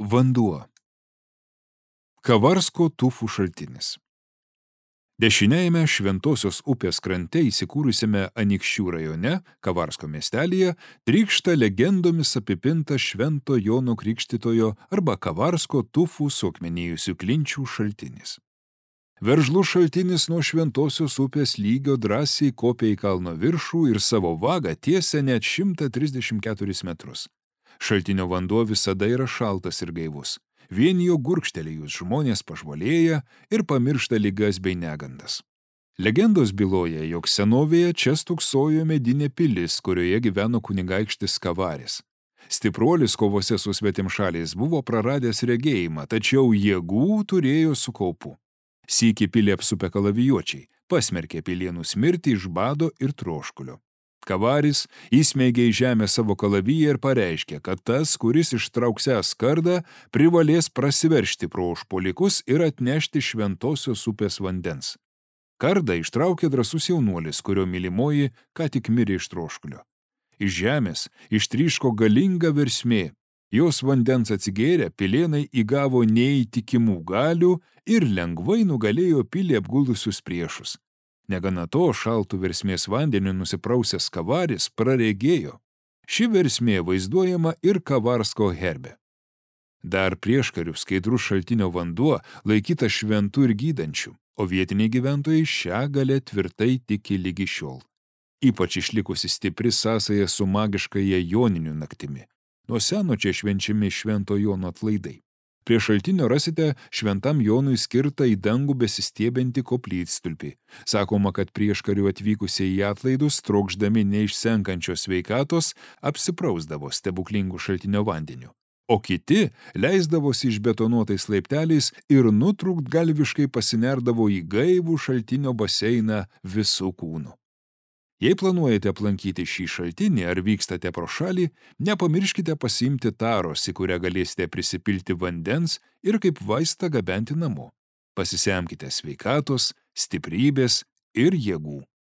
Vanduo. Kavarsko tufų šaltinis. Dešiniajame Šventosios upės krante įsikūrusiame Anykščių rajone, Kavarsko miestelyje, trykšta legendomis apipinta Švento Jono Krikštytojo arba Kavarsko tufų suakmenėjusių klinčių šaltinis. Veržlus šaltinis nuo Šventosios upės lygio drąsiai kopia į kalno viršų ir savo vagą tiesia net 134 metrus. Šaltinio vanduo visada yra šaltas ir gaivus. Vien jo gurkštelėjus žmonės pažvalėja ir pamiršta ligas bei negandas. Legendos byloja, jog senovėje čia stūksojo medinė pilis, kurioje gyveno kunigaikštis Kavaris. Stipruolis kovose su svetimšaliais buvo praradęs regėjimą, tačiau jėgų turėjo su kaupu. Sykį pilį apsupę kalavijuočiai pasmerkė pilienus mirti iš bado ir troškulio. Kavaris įsmeigė į žemę savo kalaviją ir pareiškė, kad tas, kuris ištrauksęs kardą, privalės prasiveržti pro užpuolikus ir atnešti Šventosios upės vandens. Kardą ištraukė drąsus jaunuolis, kurio mylimoji ką tik mirė iš troškulio. Iš žemės ištryško galinga versmė. Jos vandens atsigėrę, pilienai įgavo neįtikimų galių ir lengvai nugalėjo pilį apgulusius priešus. Negana to, šaltų versmės vandeniu nusiprausęs Kavaris praregėjo. Ši versmė vaizduojama ir Kavarsko herbe. Dar prieškarių skaidrus šaltinio vanduo laikytas šventų ir gydančių, o vietiniai gyventojai šią galę tvirtai tiki ligi šiol. Ypač išlikusi stipri sąsaja su magiškaja joninių naktimi. Nuo seno čia švenčiami Švento Jono atlaidai. Prie šaltinio rasite Šventam Jonui skirtą į dangų besistiebiantį koplytstulpį. Sakoma, kad prieškarių atvykusiai į atlaidus, trokšdami neišsenkančios sveikatos, apsiprausdavo stebuklingų šaltinio vandeniu. O kiti leisdavosi išbetonuotais laipteliais ir nutrūktgalviškai pasinerdavo į gaivų šaltinio baseiną visų kūnų. Jei planuojate aplankyti šį šaltinį ar vykstate pro šalį, nepamirškite pasiimti taros, į kurią galėsite prisipilti vandens ir kaip vaistą gabenti namo. Pasisemkite sveikatos, stiprybės ir jėgų.